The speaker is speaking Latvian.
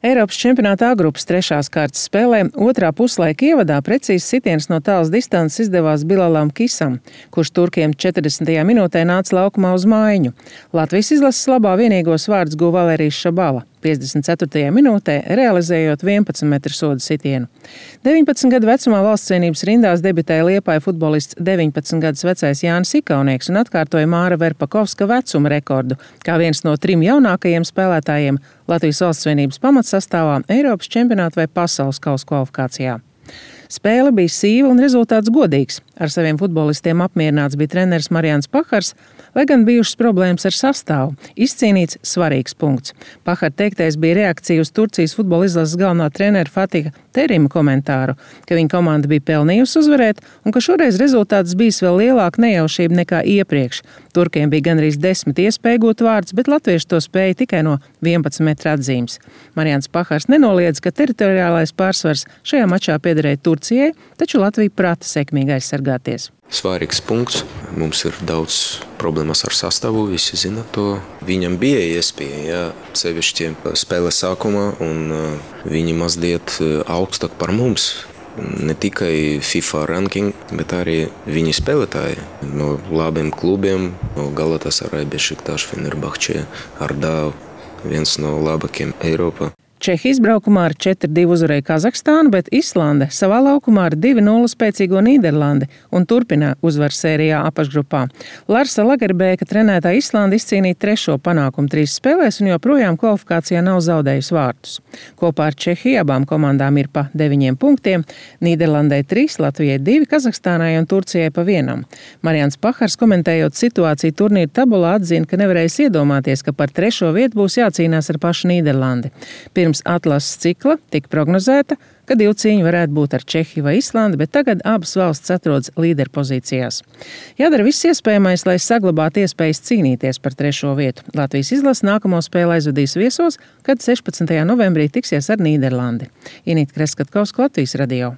Eiropas čempionāta A grupas 3. kārtas spēlē otrā puslaika ievadā precīzs sitiens no tālas distances izdevās Bilalam Kisam, kurš turkiem 40. minūtē nāca laukumā uz mājiņu. Latvijas izlases labā vienīgos vārdus guva Valērijas Šabala, 54. minūtē realizējot 11 metru soda sitienu. 19 gadu vecumā valstscienības rindās debitēja Liepāja futbolists 19 gadus vecais Jānis Ikaunieks un atkārtoja Māra Verpakovska vecuma rekordu, kā viens no 3 jaunākajiem spēlētājiem Latvijas valstscienības pamatsastāvā Eiropas čempionāta vai pasaules kausa kvalifikācijā. Spēle bija sīva un rezultāts godīgs. Ar saviem futbolistiem apmierināts bija treneris Marians Pahars, lai gan bijušas problēmas ar sastāvu. Izcīnīts svarīgs punkts. Pahara teiktais bija reakcija uz Turcijas futbola izlases galvenā trenera Fatiha Terima komentāru, ka viņa komanda bija pelnījusi uzvarēt un ka šoreiz rezultāts bijis vēl lielāka nejaušība nekā iepriekš. Turkiem bija gandrīz 10 iespēju gūt vārdus, bet latvieši to spēja tikai no 11 metru atzīmes. Marians Pahars nenoliedz, ka teritoriālais pārsvars šajā mačā piederēja Turcijai, taču Latvija prata sekmīgi aizsargāties. Svarīgs punkts. Mums ir daudz problēmas ar sastāvu, visi zina to. Viņam bija iespēja, sevišķi spēles sākumā, un viņi mazliet augstāk par mums. Ne tikai FIFA ranking, bet arī viņi spēlētāji no labiem klubiem, no Galatasaray, Bešiktaš, Fenerbahče, Ardau, viens no labākiem Eiropā. Čehija izbraukumā ar 4-2 uzvarēja Kazahstānu, bet Islande savā laukumā ar 2-0 spēcīgo Nīderlandi un turpina uzvaru sērijā apakšgrupā. Larsa Lagerbēka trenētā Islande izcīnīja 3. panākumu 3 spēlēs un joprojām kvalifikācijā nav zaudējusi vārtus. Kopā ar Čehiju abām komandām ir pa 9 punktiem, Nīderlandē 3, Latvijai 2, Kazahstānai un Turcijai pa 1. Marians Pahars, komentējot situāciju turnīra tabulā, atzina, ka nevarējis iedomāties, ka par 3. vietu būs jācīnās ar pašu Nīderlandi. Pirms atlases cikla tika prognozēta, ka 2 cīņi varētu būt ar Čehiju vai Islandi, bet tagad abas valsts atrodas līderpozīcijās. Jādara viss iespējamais, lai saglabātu iespējas cīnīties par 3. vietu. Latvijas izlase nākamo spēli aizvadīs viesos, kad 16. novembrī tiksies ar Nīderlandi. Inīta Kreskatkovska, Latvijas radio.